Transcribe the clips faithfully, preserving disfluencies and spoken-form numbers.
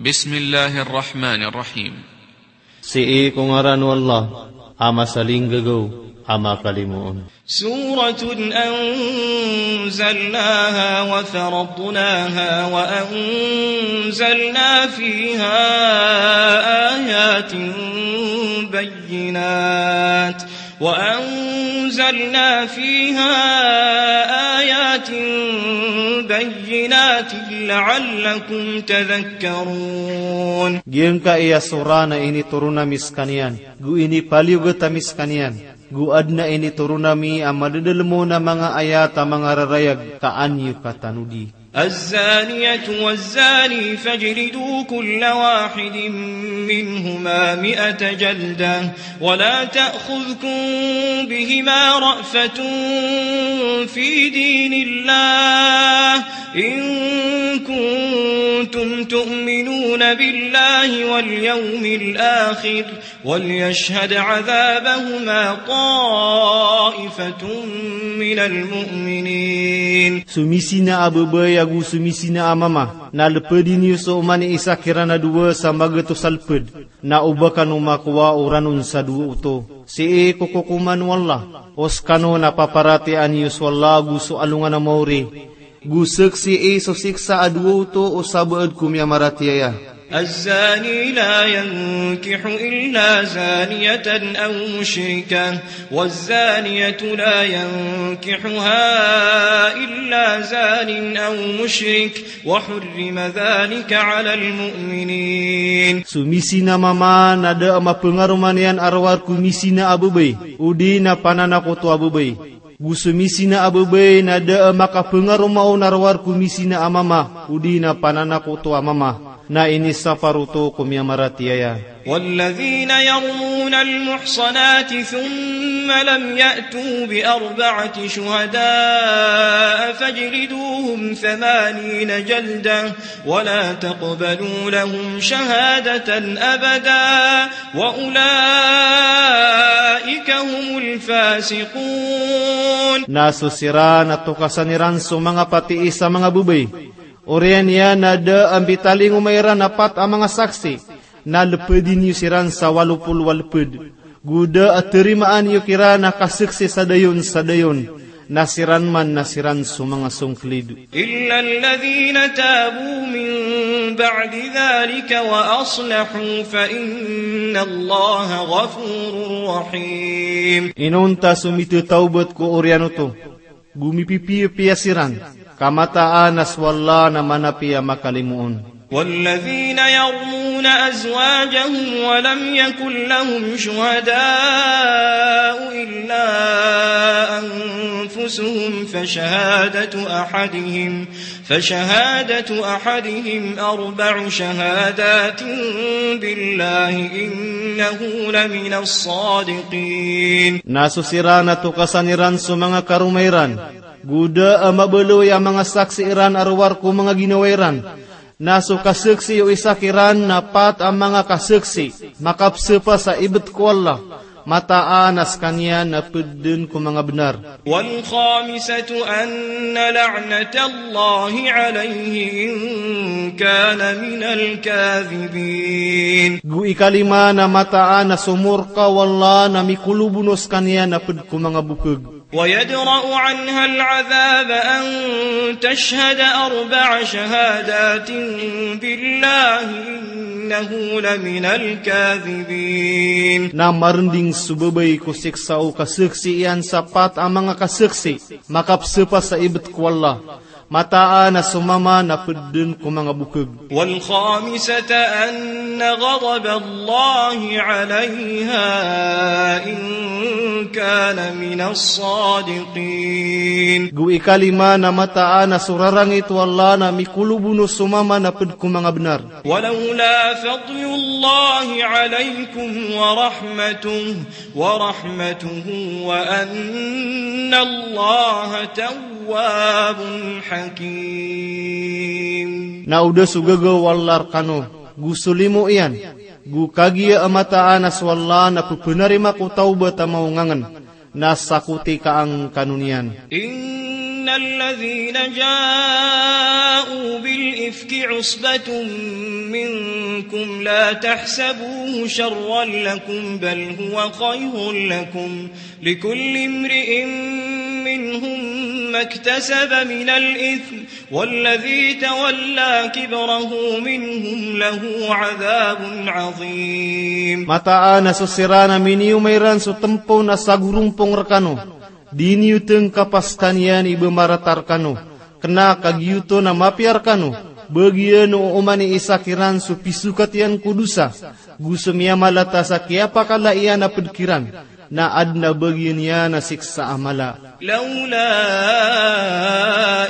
Bismillahir Rahmanir Rahim. Sii ko ngaran o Allah, a masalinggagaw, a makalimoon. سورة أنزلناها وفرضناها وأنزلنا فيها آيات بينات، وأنزلنا فيها آيات بينات لعلكم تذكرون. Giyangkai a surah na initoron ami skaniyan, go inipaliyogat ami skaniyan, go adn a initoron ami a madadalm on a manga ayat a mangararayag ka an iyo katanodi. الزانية والزاني فاجلدوا كل واحد منهما مائة جلدة ولا تأخذكم بهما رأفة في دين الله إن كنتم تؤمنون بالله واليوم الآخر وليشهد عذابهما طائفة من المؤمنين. So misina a babay ago so misina a mama, na lpdi niyo so oman i isa kiran a dowa sa magatos a lpd, na o ba kano makowa o ranon sa dowa oto. Sii ko kokoman o Allah, o skano na paparatiyayaan iyo so Allah ago so alongan a maori, go saksii so siksa a dowa oto o sabaad ko miyamaratiyaya. الزاني لا ينكح إلا زانية أو مشركة، والزانية لا ينكحها إلا زان أو مشرك، وحرم ذلك على المؤمنين. So misina a mama na da a mapangaroma niyan a rowar ko misina a babay, odi na pananakoto a babay. Go so misina a babay na da a makapangaroma on a rowar ko misina a mama, odi na pananakoto a mama, na inisapar oto ko miyamaratiyaya. والذين يرمون المحصنات ثم لم يأتوا بأربعة شهداء فاجلدوهم ثمانين جلدة ولا تقبلوا لهم شهادة أبدا وأولئك هم الفاسقون. Na so siran a tokasan iran so manga patii sa manga babay, oriyan iyan a da a mbitalingoma iran a pat a manga saksi, na lpdi niyo siran sa walo polo a lpd. Go da a tarimaan iyo kiran a kasaksi sa dayon sa dayon, na siran man na siran so manga songklid. إلا الذين تابوا من بعد ذلك وأصلحوا فإن الله غفور رحيم. Inonta so mithatawbat ko oriyan oto, go mipipiyapiya siran, ka mataan a so Allah na manapiya makalimoon. والذين يرمون أزواجهم ولم يكن لهم شهداء إلا أنفسهم فشهادة أحدهم، فشهادة أحدهم أربع شهادات بالله إنه لمن الصادقين. Na so siran a tokasan iran so manga karoma iran, go da a mabaloy a manga saksi iran a rowar ko manga ginawa iran, na so kasaksi o isa kiran na pat a manga kasaksi makapsapa sa ibt ko Allah, mataan a skaniyan na pd dn ko manga bnar. والخامسة أن لعنة الله عليه إن كان من الكاذبين. Go ikalima na mataan a so morka o Allah na mikolobono skaniyan na pd ko manga bokg. ويدرأ عنها العذاب أن تشهد أربع شهادات بالله إنه لمن الكاذبين. Na marnding so babay ko siksa o kasaksi iyan sa pat a manga kasaksi makapsapa sa ibt ko Allah, mataan a so mama na pd dn ko manga bokg. والخامسة أن غضب الله عليها إن كان من الصادقين. Go ikalima na mataan a so rarangit o Allah na mikolobono so mama na pd ko manga bnar. ولولا فضل الله عليكم ورحمته، ورحمته وأن الله تواب حكيم. Na o da so gagaw o Allah rkano, go so limo iyan, go kagiya a mataan a so Allah na ppanarima ko tawbat a maongangn, na sakoti ka angkano niyan. إن الذين جاءوا بالإفك عصبة منكم لا تحسبوه شرا لكم بل هو خير لكم، لكل امرئ منهم ما اكتسب من الإثم، والذي تولى كبره منهم له عذاب عظيم. Mataan a so siran a miniyoma iran so tempo na sagorompong rekano, di niyo tengkapas kaniyan i bemarata rekano, kena ka giyoto na mapiya rekano, bagiyan o oman i isa kiran so pisokat iyan ko dosa, go so miyamalatas a kiyapakala iyan a ped kiran, na aden a bagiyan iyan a siksa a mala. لولا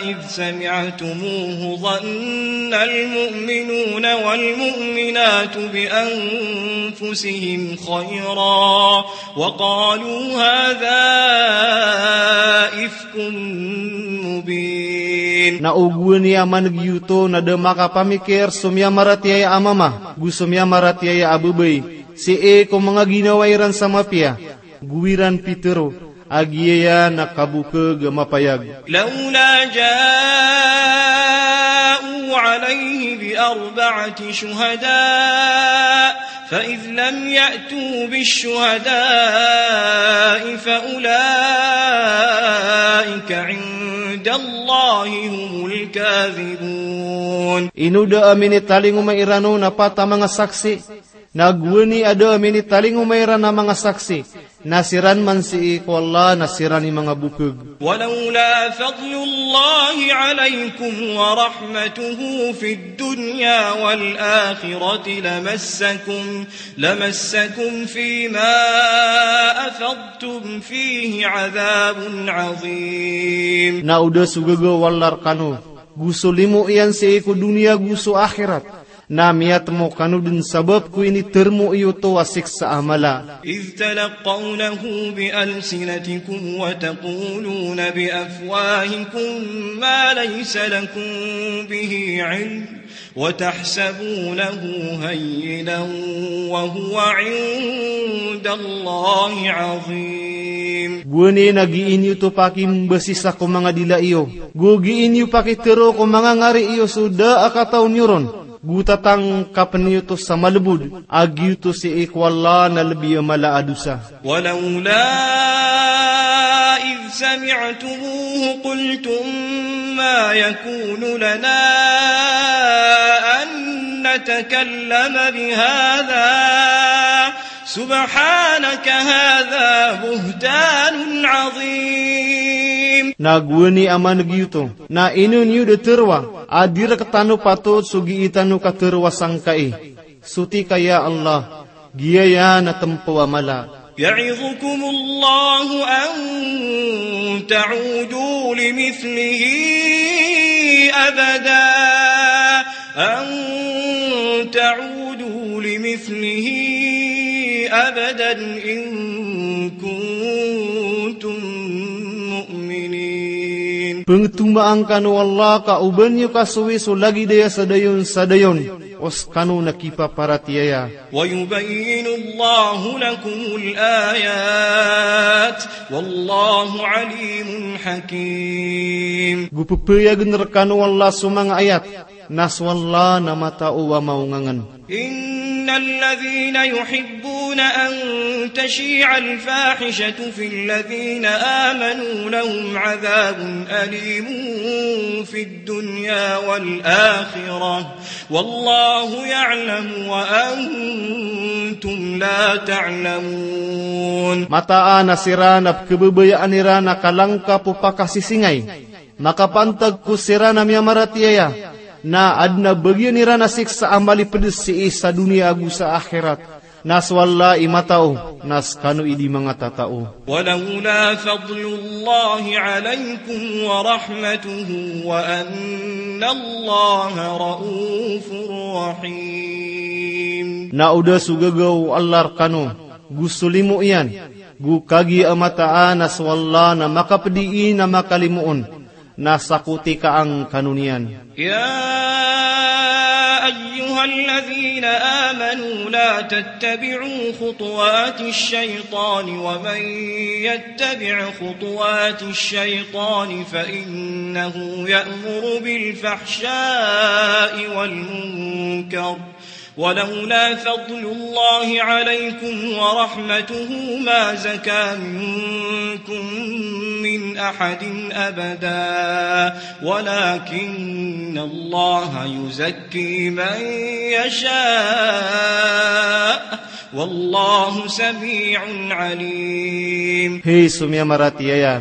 إذ سمعتموه ظن المؤمنون والمؤمنات بأنفسهم خيرا وقالوا هذا إفك مبين. Na o gowani a maneg iyoto na da makapamikir so miyamaratiyaya a mama go so miyamaratiyaya a babay sii ko manga ginawa iran sa mapiya, go iran pitero a giyaya na kabokeg a mapayag. لولا جاءوا عليه بأربعة شهداء فإذ لم يأتوا بالشهداء فأولئك عند الله هم الكاذبون. Ino da a minitalingoma iran on a pat a manga saksi, na gowani a da a minitalingoma iran a manga saksi, na siran man sii ko Allah na siran i manga bokeg. ولولا فضل الله عليكم ورحمته في الدنيا والآخرة لمسكم، لمسكم فيما أفضتم فيه عذاب عظيم. Na o da so gagaw o Allah rekano, go so limo iyan sii ko doniya go so akhirat, na miyatemo kano den sabap ko initermo iyo oto a siksa a mala. إذ تلقونه بألسنتكم وتقولون بأفواهكم ما ليس لكم به علم وتحسبونه هينا وهو عند الله عظيم. Gowani na gii niyo oto pakimbasisa ko manga dila iyo, go gii niyo pakitero ko manga ngari iyo so da a kataw niyo ron, go tatangkapen iyo oto sa malebod a giyoto sii ko Allah na lebi a mala a dosa. ولولا إذ سمعتموه قلتم ما يكون لنا أن نتكلم بهذا سبحانك هذا بهتان عظيم. Na gowani a maneg iyo oto, na ino niyo da teroa a di rektano patot so gii tano kateroa sangkai. Soti ka ya Allah, giyaya na tempo a mala. يعظكم الله أن تعودوا لمثله أبدا، أن تعودوا لمثله أبدا إن كنتم مؤمنين. Pengetomaan kano o Allah ka oba niyo kasowi so lagid aya sa dayon sa dayon, o sekano na kipaparatiyaya. ويبين الله لكم الآيات والله عليم حكيم. Go pepayagen rekano o Allah so manga ayat, na so Allah na matao a maongangen. إن الذين يحبون أن تشيع الفاحشة في الذين آمنوا لهم عذاب أليم في الدنيا والآخرة والله يعلم وأنتم لا تعلمون. Mataan a siran a pekebabayaan iran a kalangkap o pakasisingay makapantag ko siran a miyamaratiyaya, na aden a bagian iran a siksa a malipedes sii sa doniya ago sa akhirat. Na so Allah i matao, na sekano i di manga tatao. ولولا فضل الله عليكم ورحمته وأن الله رءوف رحيم. Na o da so gagaw o Allah rekano, go so limo iyan, go kagiya a mataan a so Allah na makapedii na makalimoon, na sakoti ka angkano niyan. يا أيها الذين آمنوا لا تتبعوا خطوات الشيطان ومن يتبع خطوات الشيطان فإنه يأمر بالفحشاء والمنكر ولولا فضل الله عليكم ورحمته ما زكى منكم من أحد أبدا ولكن الله يزكي من يشاء والله سميع عليم. Hay so miyamaratiyaya,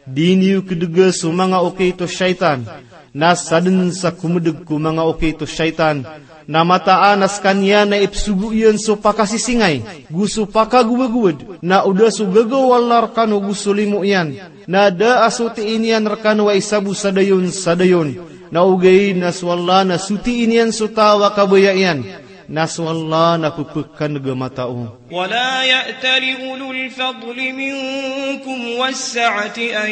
di niyo kdga so manga okit o shaytan, na sadn sa komdg ko manga okit o shaytan, na mataan a skaniyan na ipsogo iyan so pakasisingay, go so pakagowagowad, na o da so gagaw o Allah rkano go so limo iyan, na da a sotiin iyan rkano a isa bo sa dayon sa dayon, na ogaid na so Allah na sotiin iyan so taw a kabaya iyan, na so Allah na pphakan'g a matao. ولا يأتل أولو الفضل منكم والسعة أن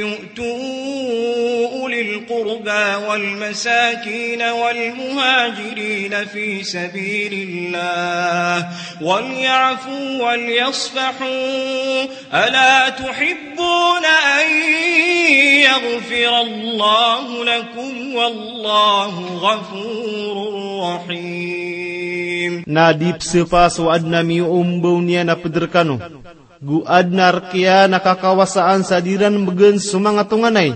يؤتوا أولي القربى والمساكين والمهاجرين في سبيل الله وليعفوا وليصفحوا ألا تحبون أن يغفر الله لكم والله غفور رحيم. Na di pzapa so adn a miyoombaw niyan a pd rkano, go adn a rk iyan a kakawasaan sa di ran mbgan so manga tonganay,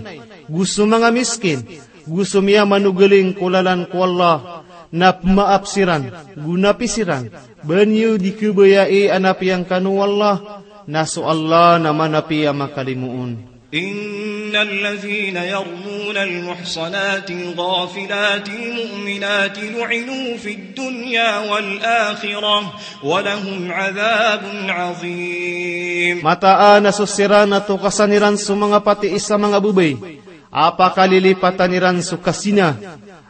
go so manga miskin, go so miyamanogaling ko lalan ko Allah, na pmaap siran, go napi siran, ba niyo di khabayai a napiya ngkano o Allah, na so Allah na manapi a makalimoon. إن الذين يرمون المحصنات الغافلات المؤمنات لعنوا في الدنيا والآخرة ولهم عذاب عظيم. Mataan a so siran a tokasan iran so manga patii sa manga babay a pakalilipatan iran so kazina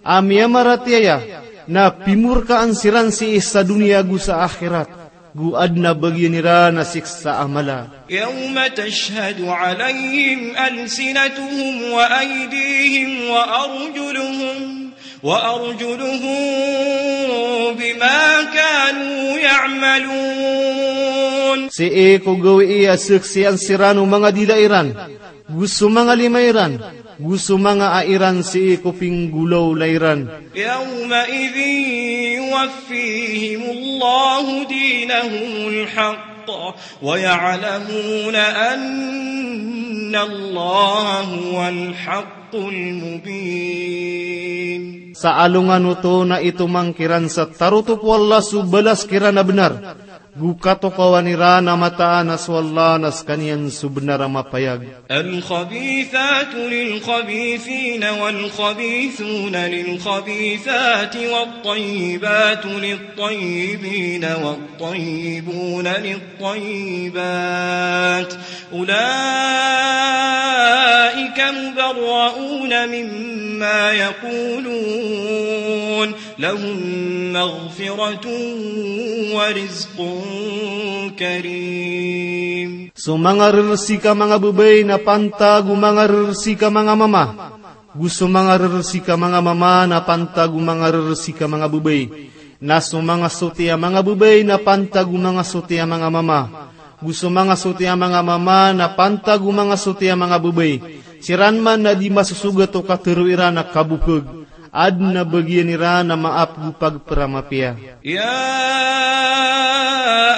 a miyamaratiyaya, na pimorkaan siran sii sa doniya go sa akhirat, go adn a bagian iran a siksa a mala. يوم تشهد عليهم ألسنتهم وأيديهم وأرجلهم، وأرجلهم بما كانوا يعملون. Sii ko gawii a saksian siran o manga dila iran, go so manga lima iran, go so manga a iran sii ko pinggolawla iran. يومئذ يوفيهم الله دينهم الحق ويعلمون أن الله هو الحق المبين. Sa alongan oto na itomang kiran sa tarotop o Allah so balas kiran a bnar, go katokawan iran a mataan a so Allah na skaniyan so bnar a mapayag. الخبيثات للخبيثين والخبيثون للخبيثات والطيبات للطيبين والطيبون للطيبات أولئك مبرؤون مما يقولون لهم مغفرة ورزق كريم. So manga rersik a manga babay na pantag o manga rersik a manga mama, go so manga rersik a manga mama na pantag o manga rersik a manga babay. Na so manga soti a manga babay na pantag o manga soti a manga mama, go so manga soti a manga mama na pantag o manga soti a manga babay. Siran man na di masosogat o katharo iran a kabopeg, adn a bagian iran a maap go pagpr a mapiya. يا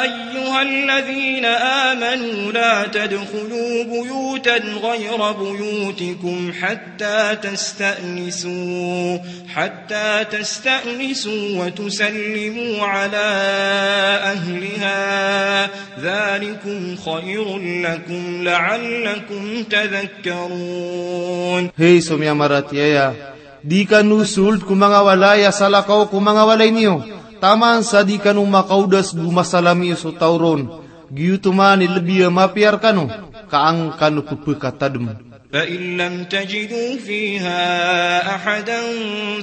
أيها الذين آمنوا لا تدخلوا بيوتا غير بيوتكم حتى تستأنسوا، حتى تستأنسوا وتسلموا على أهلها، ذلكم خير لكم لعلكم تذكرون. Hay so miyamaratiyaya, di kano sold ko manga walay a salakaw ko manga walay niyo, taman sa di kano makaodas go masalami so taw ron. Giyoto man i lbi a mapiya rkano, ka an kano pphakatadm. فإن لم تجدوا فيها أحدا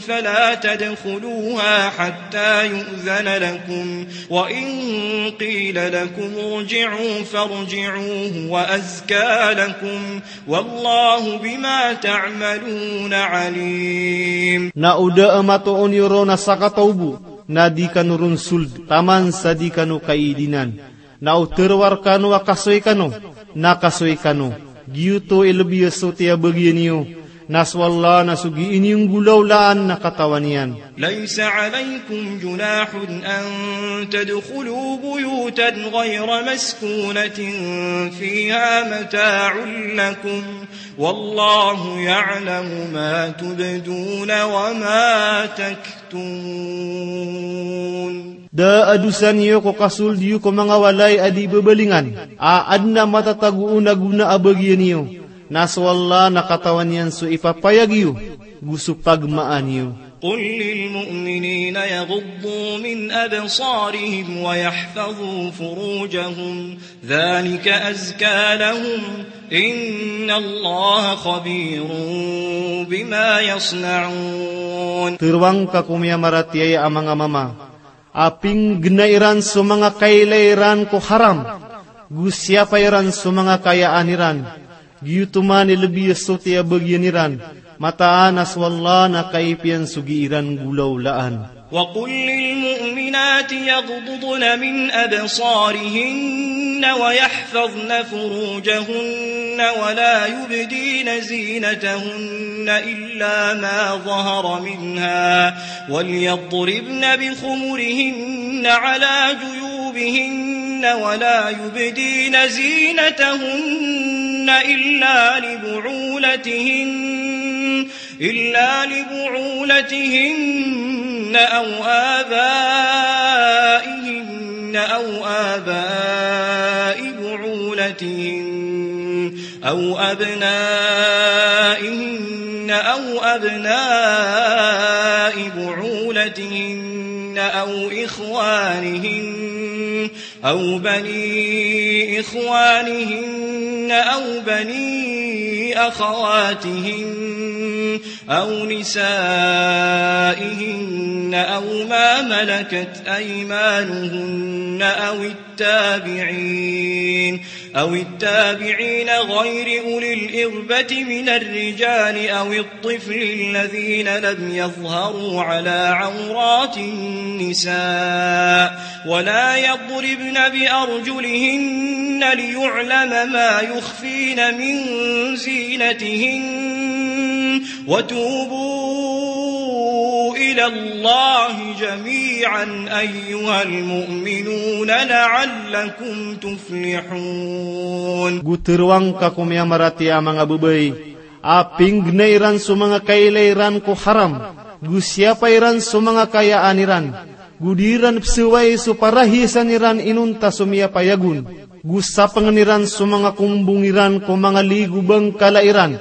فلا تدخلوها حتى يؤذن لكم، وإن قيل لكم ارجعوا فارجعوا هو أزكى لكم، والله بما تعملون عليم. Na o da a matoon iyo ron a sakataw bo, na di kano ron sold, taman sa di kano kaidinan. Na o tharoa rkano a kasoy kano, na kasoy kano. Giyoto i lbi a soti a bagian iyo, Na so Allah na so gii niyo nggolawlaan na katawan iyan. ليس عليكم جناح أن تدخلوا بيوتا غير مسكونة فيها متاع لكم والله يعلم ما تبدون وما تكتمون. Da a dosa niyo ko kasold iyo ko manga walay a di bebelingan, a aden a matatago on a gona a bagian iyo. Na so Allah na katawan iyan so ipapayag iyo, go so pagmaan iyo. قل للمؤمنين يغضوا من أبصارهم ويحفظوا فروجهم ذلك أزكى لهم إن الله خبير بما يصنعون. Tero angka ko miyamaratiyaya a manga mama, a pinggena iran so manga kailay iran ko haram, go siyapa iran so manga kayaan iran, giyoto man i lebi a soti a bagian iran, mataan a so Allah na kaipiyan so gii ran nggolawlaan. وقل للمؤمنات يغضضن من أبصارهن ويحفظن فروجهن ولا يبدين زينتهن إلا ما ظهر منها وليضربن بخمرهن على جيوبهن ولا يبدين زينتهن إلا لبعولتهن إلا لبعولتهن أو آبائهن أو آباء بعولتهن أو أبنائهن أو أبناء بعولتهن أو إخوانهن أو بني إخوانهن أو بني أخواتهن أو نسائهن أو ما ملكت أيمانهن أو التابعين أو التابعين غير أولي الإربة من الرجال أو الطفل الذين لم يظهروا على عورات النساء ولا يضربن بأرجلهن ليعلم ما يخفين من زينتهن وتوبوا إلى الله جميعا أيها المؤمنون لعلكم تفلحون. Go tero angka ko miyamaratiyaya a manga babay a pinggena iran so manga kailay iran ko haram, go siyapa iran so manga kayaan iran, go di ran pesawai so parahiyasan iran inonta so miyapayag on, go sapengen iran so manga kombong iran ko manga ligo bangkala iran,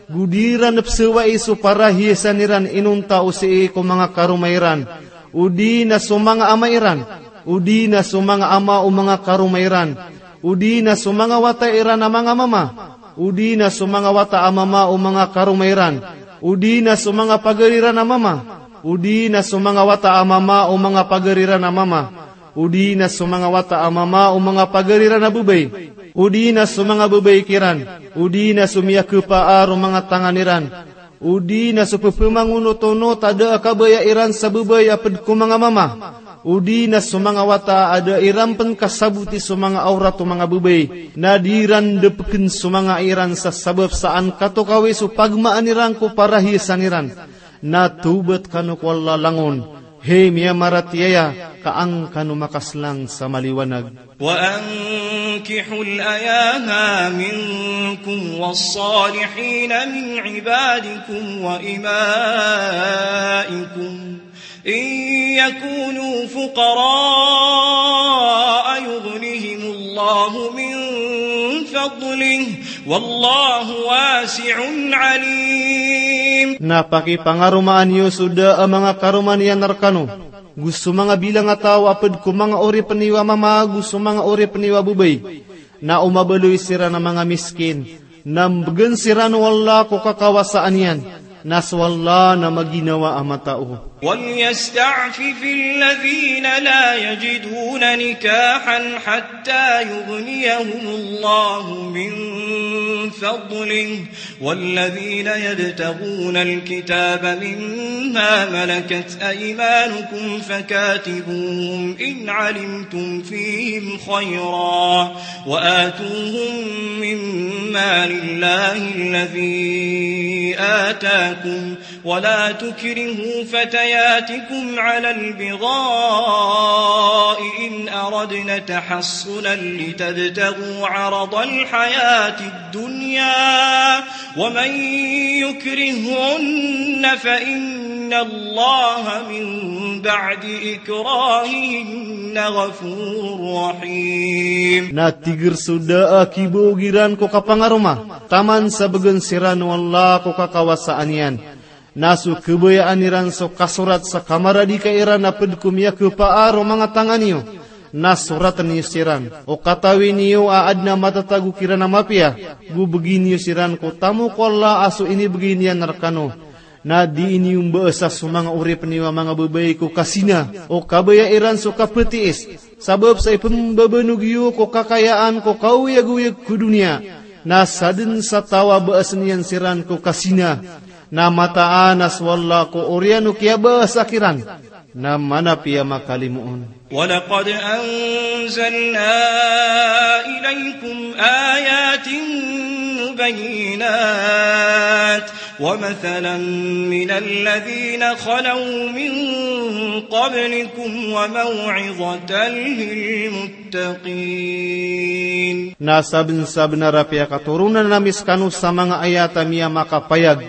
go di ran pesawai so parahiyasan iran inonta o sii ko manga karoma iran, o di na so manga ama iran, o di na so manga ama o manga karoma iran, o di na so manga wata iran a manga mama, o di na so manga wata a mama o manga karoma iran, o di na so manga pagari ran a mama, o di na so manga wata a mama o manga pagari ran a mama, o di na so manga wata a mama o manga pagari ran a babay, o di na so manga babay kiran, o di na so miyakepaar o manga tangan iran, o di na so pepemangonot-onot a da a kabaya iran sa babay a ped ko manga mama, o di na so manga wata a da iran pen kasaboti so manga awrat o manga babay, na di ran depeken so manga iran sa sabap sa an katokawi so pagmaan iran ko parahiyasan iran. Na tawbat kano ko Allah langon, hay miyamaratiyaya, ka an kano makaslang sa maliwanag. وأنكحوا الأيامى منكم والصالحين من عبادكم وإمائكم إن يكونوا فقراء يغنهم الله من فضله والله واسع عليم. Na pakipangaromaan iyo so da a manga karoma niyan rekano, go so manga bilang a taw a ped ko manga oripen iyo a mama go so manga oripen iyo a babay, na o mabaloy siran a manga miskin, na mbegen siran o Allah ko kakawasaan iyan, na so Allah na maginawa a matao. وليستعفف الذين لا يجدون نكاحا حتى يغنيهم الله من فضله، والذين يبتغون الكتاب مما ملكت أيمانكم فكاتبوهم إن علمتم فيهم خيرا، وآتوهم من مال الله الذي آتاكم، ولا تكرهوا فتياتكم على البغاء إن أردن تحصنا لتبتغوا عرض الحياة الدنيا، ومن يكرههن فإن الله من بعد إكراههن غفور رحيم. Na tig iran so da a kibaog iran ko kapangaroma, taman sa bgan siran o Allah ko kakawasaan iyan. Na so kabayaan iran so kasorat sa kamaradika iran a pd ko miyakapaar o manga tangan iyo, na soratn iyo siran. O katawi niyo a adn a matatago kiran a mapiya, go bgi niyo siran ko tamok o Allah a so inibgay niyan rkano. Na dii niyo mbaasa so manga oripn iyo a manga babay ko kazina. O kabaya iran so kaptiis, sabap sa ipmbabanog iyo ko kakayaan ko kaoyagoyag ko doniya. Na sadn sa taw a baasn iyan siran ko kazina. Na mataan a so Allah ko oriyan o kiyabaasa kiran, na manapiya makalimoon. ولقد أنزلنا إليكم آيات مبينات ومثلا من الذين خلوا من قبلكم وموعظة للمتقين. Na sabnsabnar a piyakatoronan ami skano sa manga ayat a miyamakapayag,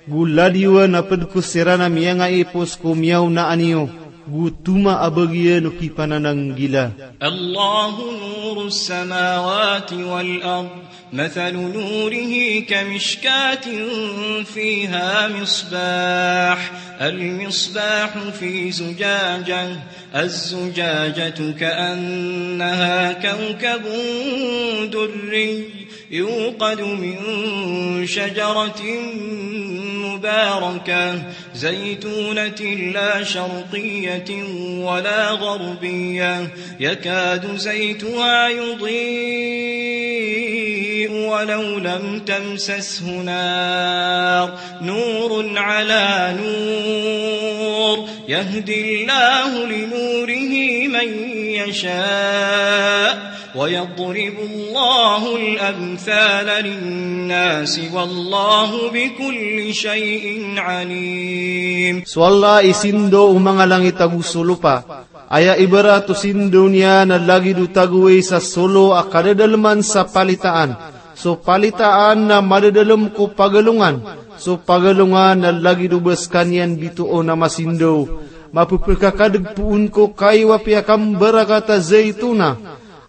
go ladiwan a pd ko siran a miyangaipos ko miyaonaan iyo, go toma a bagian o kipanananggila. الله نور السماوات والأرض، مثل نوره كمشكاة فيها مصباح، المصباح في زجاجة، الزجاجة كأنها كوكب دري، يوقد من شجرة مباركة زيتونة لا شرقية ولا غربية، يكاد زيتها يضيء ولو لم تمسسه نار، نور على نور، يهدي الله لنوره من يشاء، ويضرب الله الأمثال للناس، والله بكل شيء عليم. So Allah i sindaw o manga langit ago so lopa. Aya ibarat o sindaw niyan na lagid o tagoway sa solo a kadadalman sa palitaan. So palitaan na madadalm ko pagalongan. So pagalongan na lagid o ba skaniyan bitoon a masindaw. Mapepekakadeg poon ko kaiwa piyakambarakat a zaitona.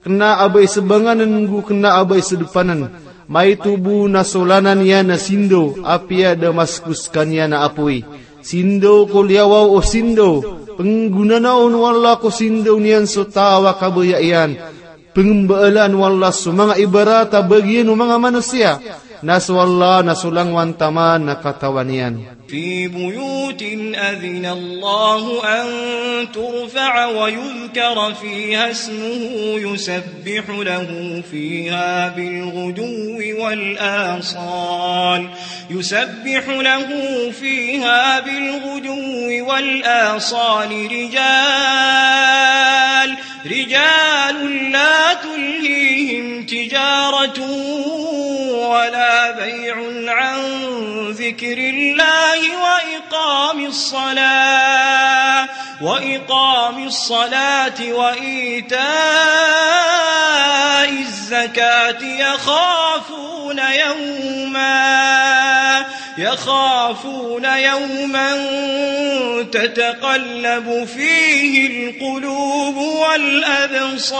Kena a ba i sebanganen go kena a ba i sedepanen. Maito bo na so lanan iyan a sindaw, apiya da masko skaniyan a apoy. Sindaw ko liyawaw o sindaw, penggonanaan o Allah ko sindaw niyan so taw a kabaya iyan. Pengembaalan o Allah so manga ibarat a bagian o manga manosiya, na so Allah na so langowan taman na katawan iyan. في بيوت أذن الله أن ترفع ويذكر فيها اسمه يسبح له فيها بالغدو والآصال، يسبح له فيها بالغدو والآصال رجال، رجال لا تلهيهم تجارة ولا بيع عن ذكر الله وإقام الصلاة، وإقام الصلاة وإيتاء الزكاة يخافون يوما، يخافون يوما تتقلب فيه القلوب والأبصار.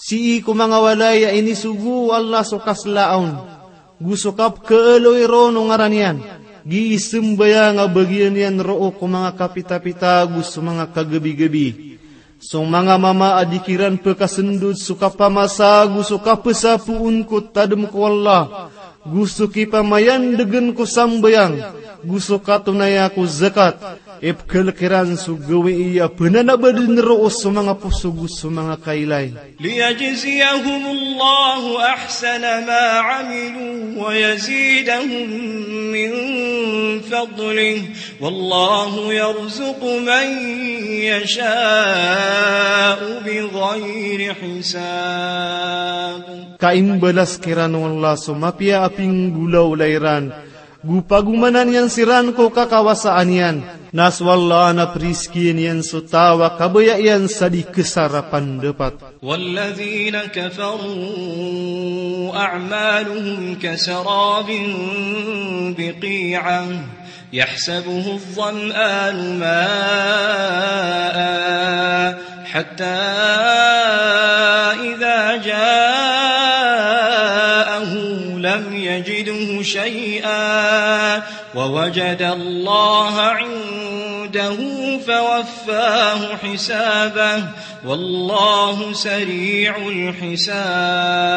Sii ko manga walay a inisogo o Allah so kaslaa on, go so kapkaaloy ron o ngaran iyan, gii sembayang a bagian iyan roo ko manga kapitapita go so manga kagabigabi. So manga mama a di kiran pekasendod so kapamasa go so kapesapoon ko tadem ko Allah, go so kipamayandegen ko sambayang, Go so katonaya ko zakat, ipkhalk iran so gawii a pnanabadn roo so manga poso go so manga kailay. ليجزيهم الله أحسن ما عملوا ويزيدهم من فضله والله يرزق من يشاء بغير حساب. Ka imbalas kiran o Allah so mapiya a pinggolawla iran, go pagomanan iyan siran ko kakawasaan iyan, na so Allah na prizkiin iyan so taw a kabaya iyan sa di ksar a pandapat. والذين كفروا أعمالهم كسراب بقيعة يحسبه الظمآن ماء حتى إذا جاءه لم يجده شيئا ووجد الله عنده فوفاه حسابه والله سريع الحساب.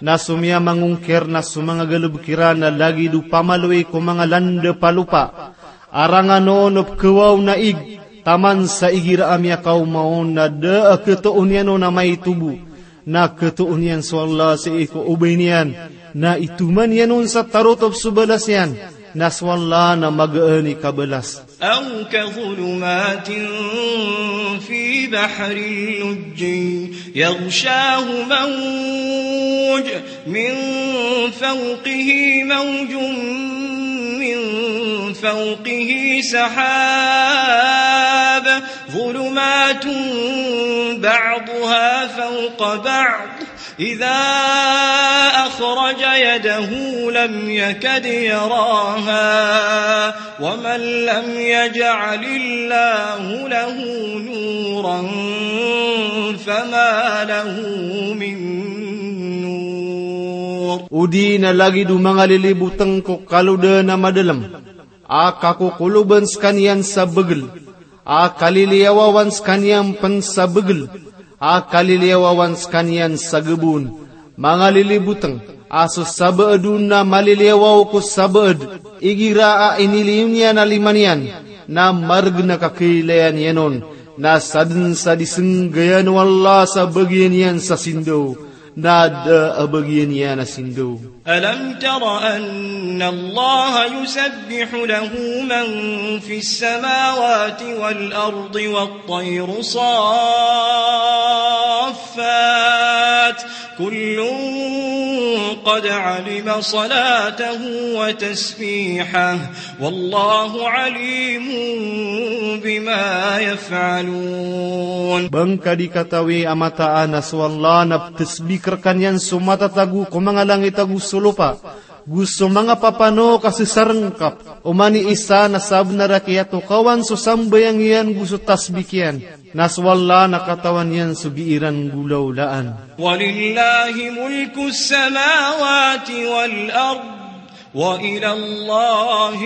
Na so miyamangongkir na so manga galbk iran a lagid o pamaloy ko manga landap a lopa. Arangan on o pkhawaw na ig, taman sa igira a miyakaoma on na da a khatoon iyan on a maitobo. Na khatoon iyan so Allah sii ko obay niyan, na itoman iyan on sa tarotop so balas iyan, na so Allah na magaan i kabalas. أو كظلمات في بحر لجي يغشاه موج من فوقه موج من فوقه سحاب ظلمات بعضها فوق بعض إذا أخرج يده لم يكد يراها ومن لم يجعل الله له نورا فما له من نور. Odi na lagid o manga lilibotng ko kalodan a madalm, a kakokoloban skaniyan sa bagl, a kaliliyawawan skaniyan pn sa bagl, a kaliliyawawan skaniyan sa gbon, manga lilibotng, a so sabaad on na maliliyawaw ko sabaad, igira a iniliyo niyan a lima niyan, na margn a kakailayan iyan on, na sadn sa di snggayan o Allah sa bagian iyan sa sindaw, na da a bagian iyan a sindaw. ألم تر أن الله يسبح له من في السماوات والأرض والطير صافات كل قد علم صلاته وتسبيحه والله عليم بما يفعلون. Ba ngka di katawi a mataan a so Allah na ptsbik rkaniyan so matatago ko manga langit ago so lopa, go so manga papanok a sesarngkap, oman i isa na sabnar a kiyatokawan so sambayang iyan go so tasbik iyan, na so Allah na katawan iyan so gii ran golawlaan. ولله ملك السماوات والأرض وإلى الله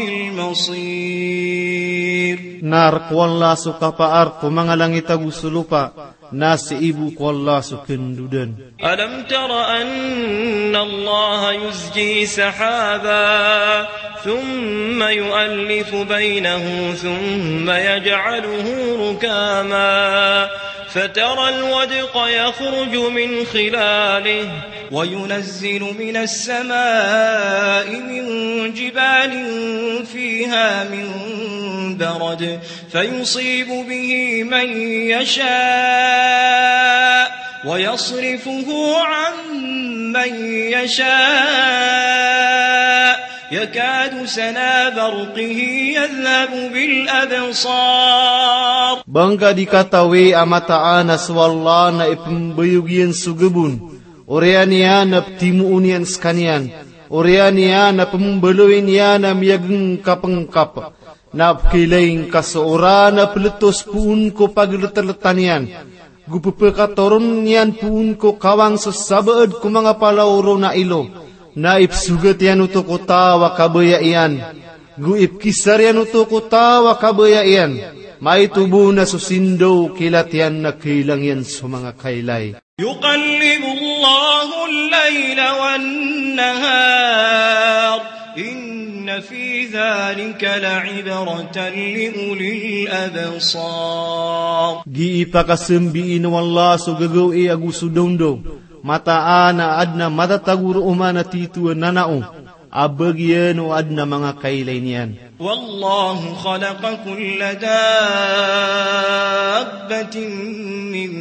المصير. Na rk o Allah so kapaar ko manga langit ago so lopa, na sii bo ko Allah so kndodan. ألم تر أن الله يزجي سحابا ثم يؤلف بينه ثم يجعله ركاما فترى الودق يخرج من خلاله وينزل من السماء من جبال فيها من برد فيصيب به من يشاء ويصرفه عن من يشاء يكاد سنا برقه يذهب بالأبصار. Ba ngka di katawi a mataan a so Allah na ipmbayog iyan so gbon, oriyan iyan a ptimoon iyan skaniyan, oriyan iyan a pmbaloyin iyan a miyagngkapngkap, na pkhailay ngka so oran a pltos poon ko pagltltan iyan, go pphakatoron iyan poon ko kawang so sabaad ko manga palaw ron a ilo, na ipsogat iyan oto ko taw a kabaya iyan, go ipkisar iyan oto ko taw a kabaya iyan, maito bo na so sindaw kilat iyan na khailang iyan so manga kailay. يقلب الله الليل والنهار إن في ذلك لعبرة لأولي الأبصار. Gii pakasambiin o Allah so gagawii ago so dawndaw. Mataan a adn a matatago roo man a tito a nanao a bagian o adn a manga kailay niyan. والله خلق كل دابة من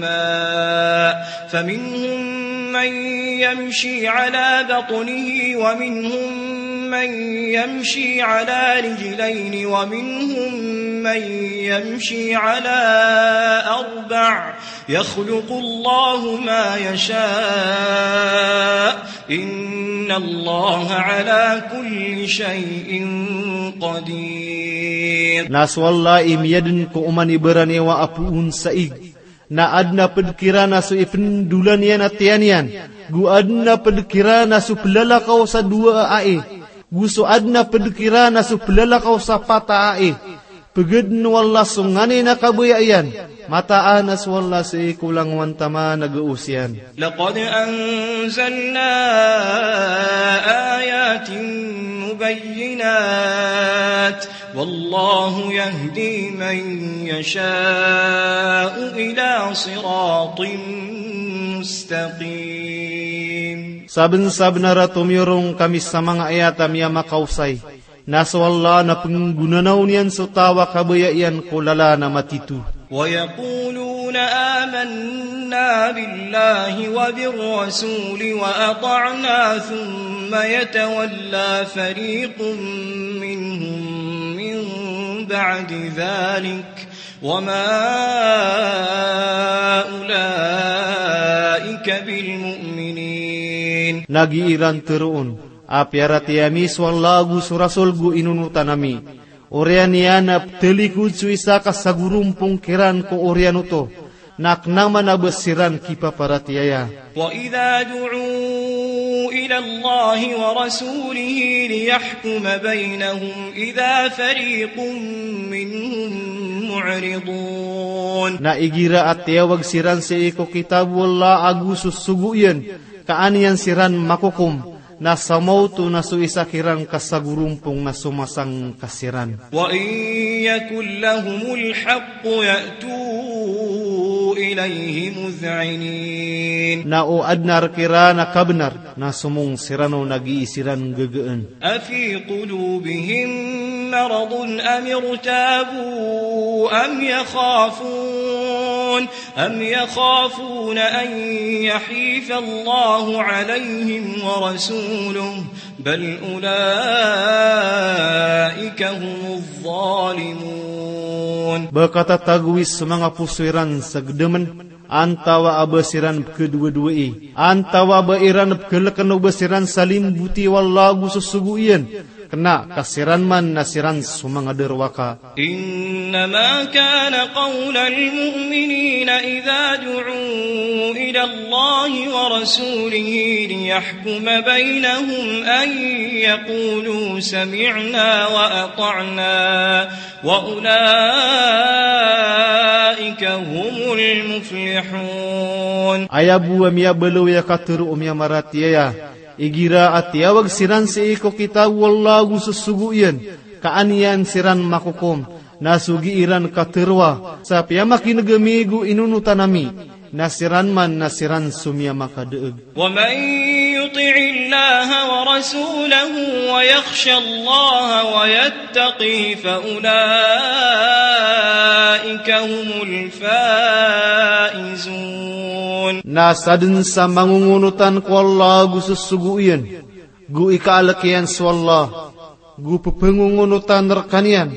ماء فمنهم من يمشي على بطنه ومنهم من يمشي على رجلين ومنهم من يمشي على أربع يخلق الله ما يشاء إن الله على كل شيء قدير. Na so Allah i miyadn ko oman i baraniyawa a poon sa ig. Na adn a pd kiran a so ipndolan iyan a tiyan iyan, go adn a pd kiran a so plalakaw sa dowa a ai, go so adn a pd kiran a so plalakaw sa pat a ai. Pgdn o Allah so nganin a kabaya iyan. Mataan a so Allah sii ko langowan taman a gaos iyan. لقد أنزلنا آيات مبينات والله يهدي من يشاء إلى صراط مستقيم. Sabnsabnar a tomiyorong kami sa manga ayat a miyamakaosay. Na so Allah na pnggonanaw niyan so taw a kabaya iyan ko lalan a matito. ويقولون آمنا بالله وبالرسول وأطعنا ثم يتولى فريق منهم من بعد ذلك وما أولئك بالمؤمنين. Na gii iran tharoon a piyaratiyaya mi so Allah ago so Rasul go inonotan ami. Oriyan iyan a ptalikod so isa ka sagorompong kiran ko oriyan oto, na kna man a ba siran kipaparatiyaya. وإذا دعوا إلى الله ورسوله ليحكم بينهم إذا فريق منهم معرضون. Na igira a tiyawag siran sii ko kitab o Allah ago so sogo iyan, ka an iyan siran makokom, na sa maoto na so isa kiran ka sagorompong na somasang ka siran. وإن يكن لهم الحق يأتوا إليه مذعنين. Na o adn a rk iran a kabnar, na somong siran on a gii siran gagaan. أفي قلوبهم مرض أم ارتابوا أم يخافون أم يخافون أن يحيف الله عليهم ورسوله بل أولئك هم الظالمون. Ba katatagoi so manga poso iran sa gdamn, antawa a ba siran pkhadowadowaii, antawa a ba iran pkhalkn o ba siran salimboti o Allah ago so sogo iyan, kna ka siran man na siran so manga darowaka. إنما كان قول المؤمنين إذا دعوا إلى الله ورسوله ليحكم بينهم أن يقولوا سمعنا وأطعنا وأولئك هم المفلحون. Aya bo a miyabaloy a katharo o miyamaratiyaya, igira a tiyawag siran sii ko kitab o Allah ago so sogo iyan, ka an iyan siran makokom, na so gii iran katharoa sa piyamakin'g ami go inonotan ami, na siran man na siran so miyamakadaag. ومن يطع الله ورسوله ويخش الله ويتقه فأولئك هم الفائزون. Na sadn sa mangongonotan ko Allah ago so sogo iyan, go ikaalk iyan so Allah, go pphangongoonotan rkaniyan,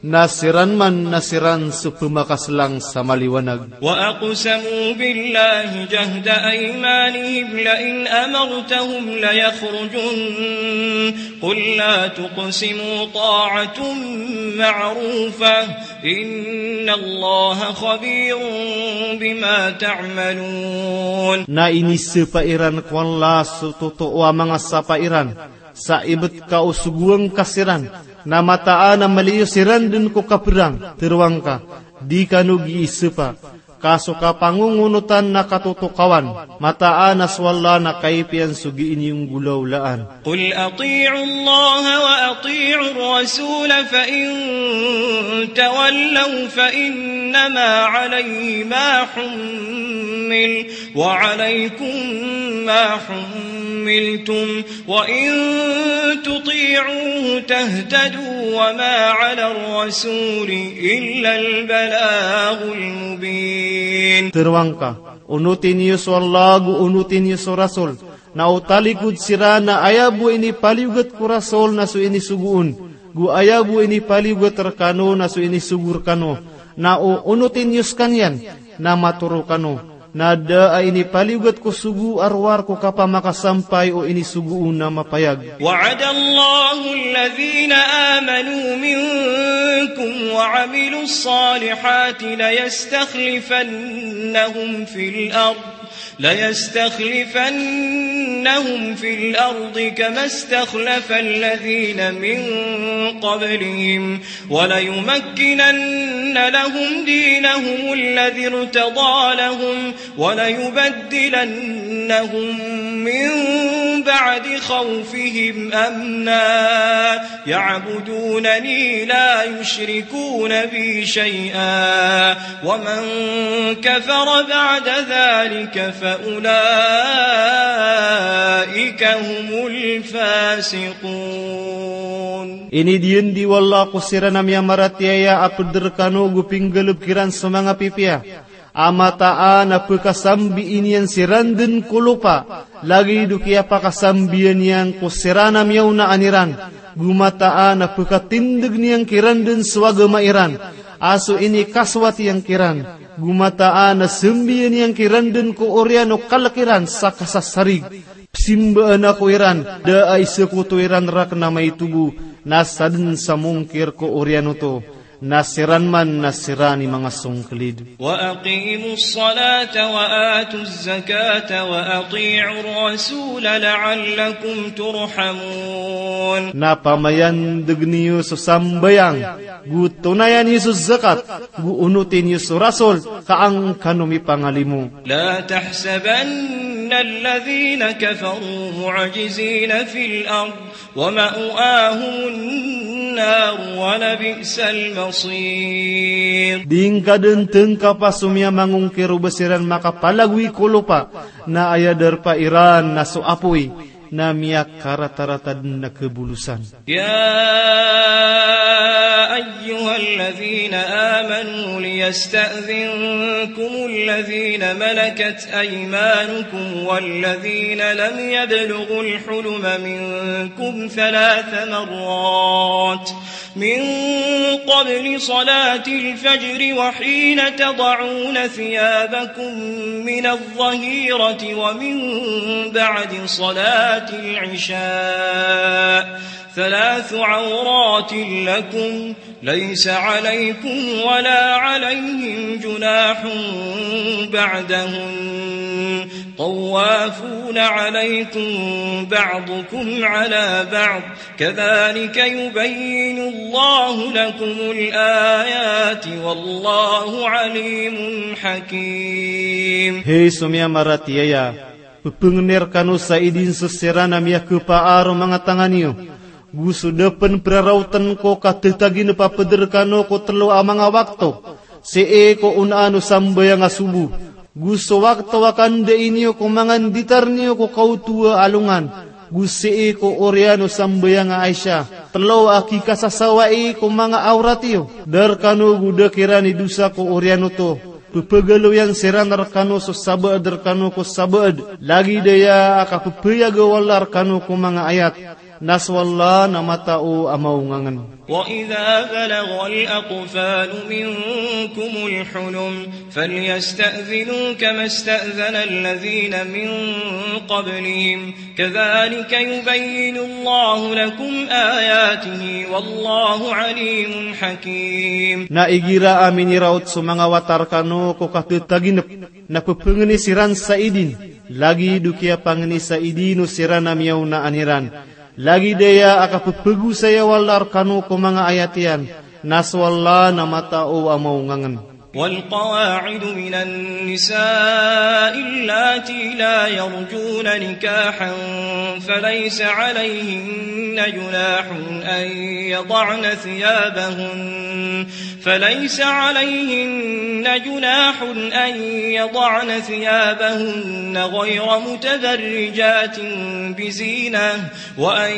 na siran man na siran so pmakaslang sa maliwanag. وأقسموا بالله جهد أيمانهم لئن أمرتهم ليخرجن قل لا تقسموا طاعة معروفة إن الله خبير بما تعملون. Na inisapa iran ko Allah so totoo a manga sapa iran, sa ibt ka o sogoan ka siran, na mataan a maliyo siran dn ko kaprang, tharoang ka, di kano gii sapa. Ka so kapangongonotan na katotokawan. Mataan a so Allah na kaipiyan so gii niyo nggolawlaan. قل أطيعوا الله وأطيعوا الرسول فإن تولوا فإنما عليه ما حمل وعليكم ما حملتم وإن تطيعوه تهتدوا وما على الرسول إلا البلاغ المبين. Tero angka, onoti niyo so Allah, go onoti niyo so Rasul. Na o talikod siran na aya bo inipaliyogat ko Rasul na so inisogo on, go aya bo inipaliyogat rekano na so inisogo rekano. Na o onoti niyo sekaniyan, na matoro kano. Na da a inipaliyogat ko sogo a rowar ko kapamakasampay o inisogo on a mapayag. وعد الله الذين آمنوا منكم وعملوا الصالحات ليستخلفنهم في الأرض ليستخلفنهم في الأرض كما استخلف الذين من قبلهم وليمكنن لهم دينهم الذي ارتضى لهم وليبدلنهم من بعد خوفهم أمنا يعبدونني لا يشركون بي شيئا ومن كفر بعد ذلك فأولئك هم الفاسقون. Inidiyan di o Allah ko siran a miyamaratiyaya a peder rekano go pinggalebek iran so manga pipiya a mataan a pekasambian iyan siran den ko lopa, lagid o kiyapakasambian iyan ko siran a miyaonaan iran, go mataan a pekatindegen iyan kiran den so agama iran a so inikasowat iyan kiran, go mataan a sambian iyan kiran den ko oriyan o kalek iran sa kasasarig. Pesimbaan ako iran, da a isekoto iran raken a maito bo, na saden sa mongkir ko oriyan oto. Na siran man na siran i manga songkelid. وأقيموا الصلاة وآتوا الزكاة وأطيعوا الرسول لعلكم ترحمون. Na pamayandeg niyo so sambayang, go tonayan iyo so zakat, go onotin iyo so Rasul, ka an kano mipangalimo. لا تحسبن الذين كفروا معجزين في الأرض ومأواهم النار ولبئس المصير. Di ngka den tengkapa so miyamangongkir o ba siran makapalagoy ko lopa, na aya darpa iran na so apoy, na miyakaratarata den a kebolosan. يا أيها الذين آمنوا ليستأذنكم الذين ملكت أيمانكم والذين لم يبلغوا الحلم منكم ثلاث مرات من قبل صلاة الفجر وحين تضعون ثيابكم من الظهيرة ومن بعد صلاة العشاء ثلاث عورات لكم ليس عليكم ولا عليهم جناح بعدهن طوافون عليكم بعضكم على بعض كذلك يبين الله لكم الآيات والله عليم حكيم. Hay so miyamaratiyaya, pepengeni rekano sa idin so siran a miyakepaar o manga tangan iyo, go so da pen peraraoten ko katetagin a papeder rekano ko telo a manga wakto, sii ko onaan o sambayang a sobo, go so wakto a kandain iyo ko manga nditar niyo ko kaoto a alongan, go sii ko oriyan o sambayang a Isha, telo a kikasasawai ko manga awrat iyo, da rekano go da kiran i dosa ko oriyan oto. Pepegaloyan siran rekano so sabaad rekano ko sabaad, lagid aya a kapepayag o Allah rekano ko manga ayat. Na so Allah na matao a maongangen. وإذا بلغ الأطفال منكم الحلم فليستأذنوا كما استأذن الذين من قبلهم كذلك يبين الله لكم آياته والله عليم حكيم. Na igira a miniraot so manga wata rekano ko katetaginep, na pepengeni siran sa idin, lagid o kiyapangeni sa idin o siran a miyaonaan iran. Lagid aya a kapepegosaya o Allah rekano ko manga ayat iyan, na so Allah na matao a maongangen. والقواعد من النساء اللاتي لا يرجون نكاحا فليس عليهن جناح أن يضعن ثيابهن، فليس عليهن جناح أن يضعن ثيابهن غير متبرجات بزينة وأن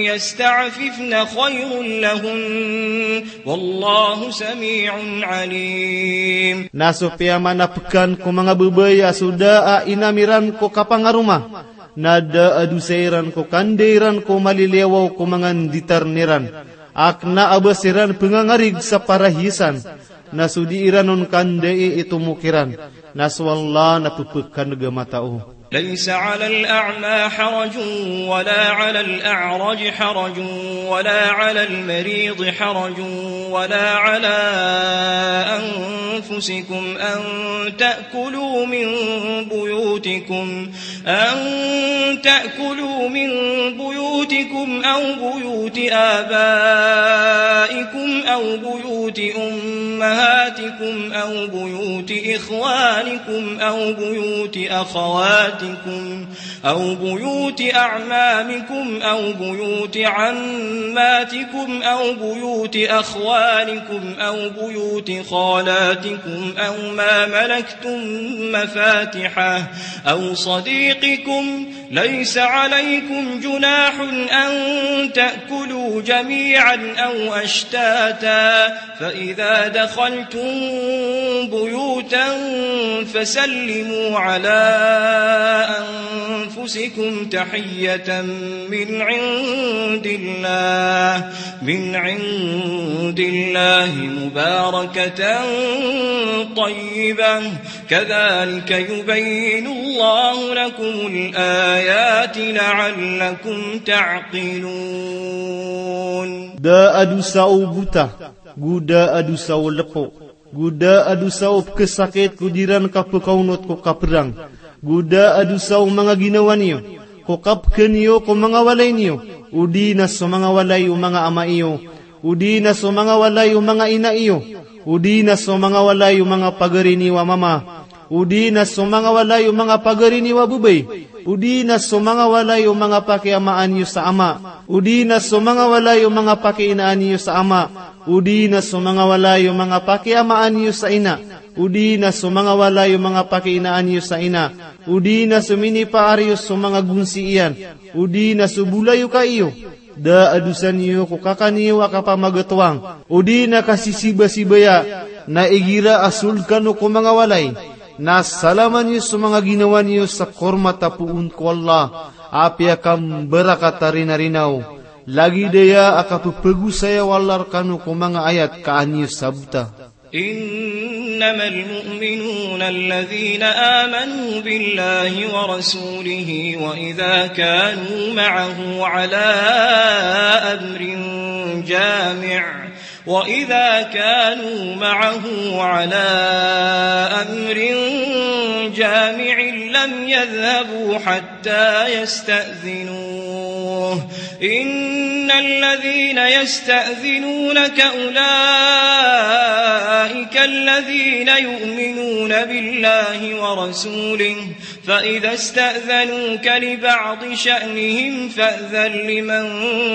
يستعففن خير لهن والله سميع عليم. Na so piyamanapekan ko manga babay a so da a inam iran ko kapangaroma, na da a dosa iran ko kandai ran ko maliliyawaw ko manga nditarn iran, a kena a ba siran pengangarig sa parahiyasan, na so di iran on kandai i tomok iran, na so Allah na pepekaneg a matao. ليس على الأعمى حرج ولا على الأعرج حرج ولا على المريض حرج ولا على أنفسكم أن تأكلوا من بيوتكم، أن تأكلوا من بيوتكم أو بيوت آبائكم أو بيوت أمهاتكم أو بيوت إخوانكم أو بيوت أخواتكم أو بيوت أعمامكم أو بيوت عماتكم أو بيوت أخوالكم أو بيوت خالاتكم أو ما ملكتم مفاتحه أو صديقكم، ليس عليكم جناح أن تأكلوا جميعا أو أشتاتا، فإذا دخلتم بيوتا فسلموا على أنفسكم تحية من عند الله، من عند الله مباركة طيبة، كذلك يبين الله لكم الآيات لعلكم تعقلون. Da a dosa o bota, go da a dosa o lepo, go da a dosa o pekesakit ko di ran kapekaonot ko kaperang, go da a dosa o manga ginawa niyo ko kapeken iyo ko manga walay niyo, o di na so manga walay o manga ama iyo, o di na so manga walay o manga ina iyo, o di na so manga walay o manga pagari niyo a mama, o di na so manga walay o manga pagari niyo a babay, o di na so manga walay o manga pakiamaan iyo sa ama, o di na so manga walay o manga pakiinaan iyo sa ama, o di na so manga walay o manga pakiamaan iyo sa ina, o di na so manga walay o manga pakiinaan iyo sa ina, o di na so minipaar iyo so manga gonsi iyan, o di na so bolayoka iyo, da a dosa niyo ko kaka niyo a kapamagetoang, o di na kasisibasibaya, na igira a sold kano ko manga walay, na salama niyo so manga ginawa niyo sa kormat a poon ko Allah a piyakambarakata rinarinaw, lagid aya a kapepegosaya o Allah rekano ko manga ayat ka an iyo sabota. إنما المؤمنون الذين آمنوا بالله ورسوله وإذا كانوا معه على أمر جامع، وإذا كانوا معه على أمر جامع لم يذهبوا حتى يستأذنوه، إن الذين يستأذنونك أولئك الذين يؤمنون بالله ورسوله، فإذا استأذنوك لبعض شأنهم فأذن لمن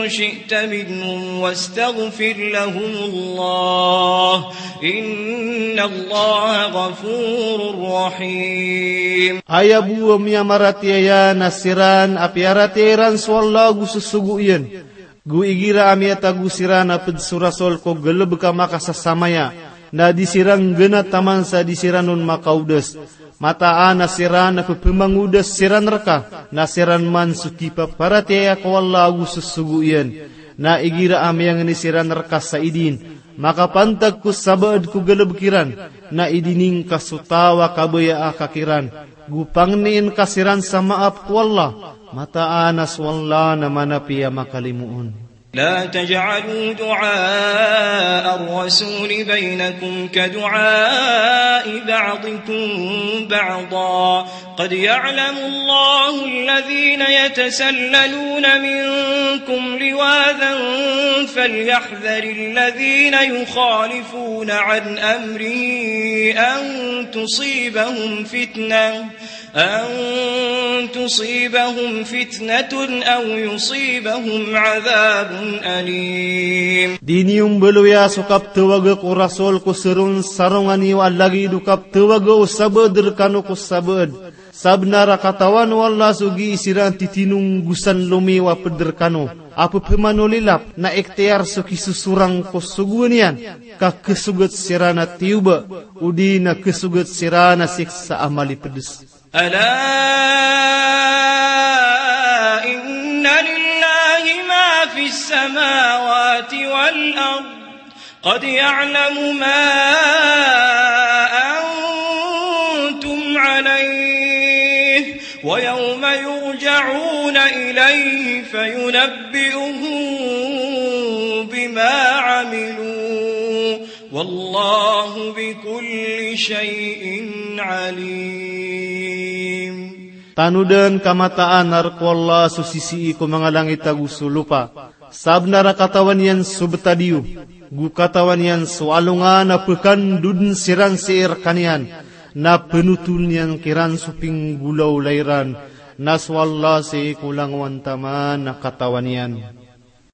شئت منهم واستغفر لهم الله، إن الله غفور رحيم. Aya bo a miyamaratiyaya na siran a piyaratiyaya iran so Allah ago so sogo iyan. Go igira a miyatago siran a ped so Rasul ko galebek a makasasamaya, na di siran nggenat taman sa di siran on makaodas. Mataan a siran a pepemangodas siran reka, na siran man so kipaparatiyaya ko Allah ago so sogo iyan. Na igira a miyangni siran reka sa idin, makapantag ko sabaad ko galebek iran, na idinin ka so taw a kabaya a kakiran, go pangnin ka siran sa maap ko Allah, mataan a so Allah na manapiya makalimoon. لا تجعلوا دعاء الرسول بينكم كدعاء بعضكم بعضا، قد يعلم الله الذين يتسللون منكم لواذا فليحذر الذين يخالفون عن أمره أن تصيبهم فتنة، أن تصيبهم فتنة أو يصيبهم عذاب أليم. Di niyo mbaloya so kaptawag ko Rasul ko saron-sarongan iyo a lagid o kaptawag o sabaad rkano ko sabaad. Sabnar a katawan o Allah so gii siran titinonggosan lomiyo a pd rkano a pphamanolilap na ikhtiyar so kisosorang ko sogoan iyan, ka khasogat siran a tiyoba, odi na khasogat siran a siksa a malipds. ألا إن لله ما في السماوات والأرض، قد يعلم ما أنتم عليه، ويوم يرجعون إليه فينبئهم بما عملوا، والله بكل شيء عليم. Tanodan ka mataan a rk o Allah so sisii ko manga langit ago so lopa. Sabnar a katawan iyan so btad iyo, go katawan iyan so alongan a pkandodn siran sii rkaniyan, na pnotoln iyan kiran so pinggolawla iran, na so Allah sii ko langowan taman a katawan iyan.